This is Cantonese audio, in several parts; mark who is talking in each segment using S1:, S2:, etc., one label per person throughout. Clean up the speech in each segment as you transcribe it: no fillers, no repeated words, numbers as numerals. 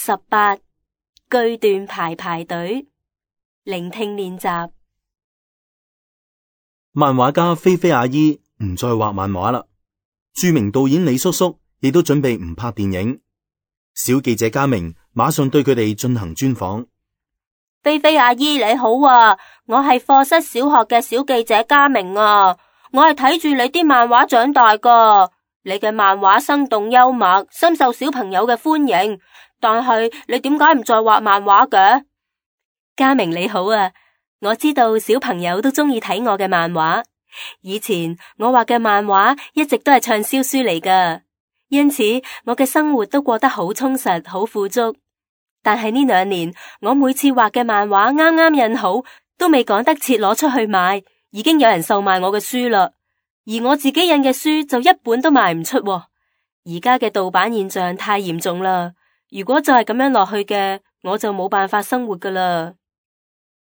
S1: 18句段排隊，聆聽練習。
S2: 漫畫家菲菲阿姨唔再畫漫畫啦，著名導演李叔叔亦都準備唔拍電影。小記者嘉明馬上對佢哋進行專訪。
S1: 菲菲阿姨你好啊，我係課室小學嘅小記者嘉明啊，我係睇住你啲漫畫長大噶，你嘅漫畫生動幽默，深受小朋友嘅歡迎。但係你點解唔再畫漫畫嘅？
S3: 嘉明你好啊，我知道小朋友都中意睇我嘅漫畫。以前我畫嘅漫畫一直都係暢銷書嚟噶，因此我嘅生活都過得好充實、好富足。但係呢2年，我每次畫嘅漫畫啱啱印好，都未趕得切攞出去賣，已經有人售賣我嘅書啦。而我自己印嘅書就一本都賣唔出喎。而家嘅盜版現象太嚴重啦，如果就係咁樣落去嘅，我就冇辦法生活噶啦。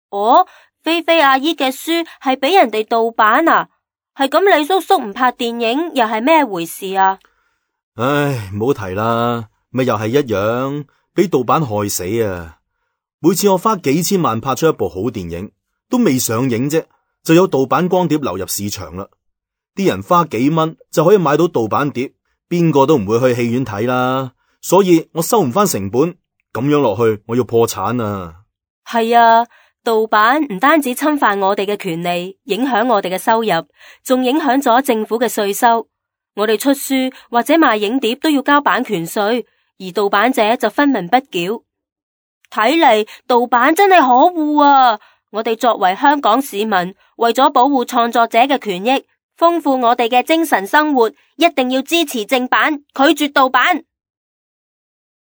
S1: 哦，菲菲阿姨嘅書係俾人哋盜版啊？係咁，李叔叔唔拍電影又係咩回事啊？
S2: 唉，唔好提啦，咪又係一樣，俾盜版害死啊！每次我花幾千萬拍出一部好電影，都未上映啫，就有盜版光碟流入市場啦。啲人花幾蚊就可以買到盜版碟，邊個都唔會去戲院睇啦。所以我收唔翻成本，咁樣落去我要破產啊！
S3: 係啊，盜版唔單止侵犯我哋嘅權利，影響我哋嘅收入，仲影響咗政府嘅稅收。我哋出書或者賣影碟都要交版權稅，而盜版者就分文不繳。
S1: 睇嚟盜版真係可惡啊！我哋作為香港市民，為咗保護創作者嘅權益，豐富我哋嘅精神生活，一定要支持正版，拒絕盜版。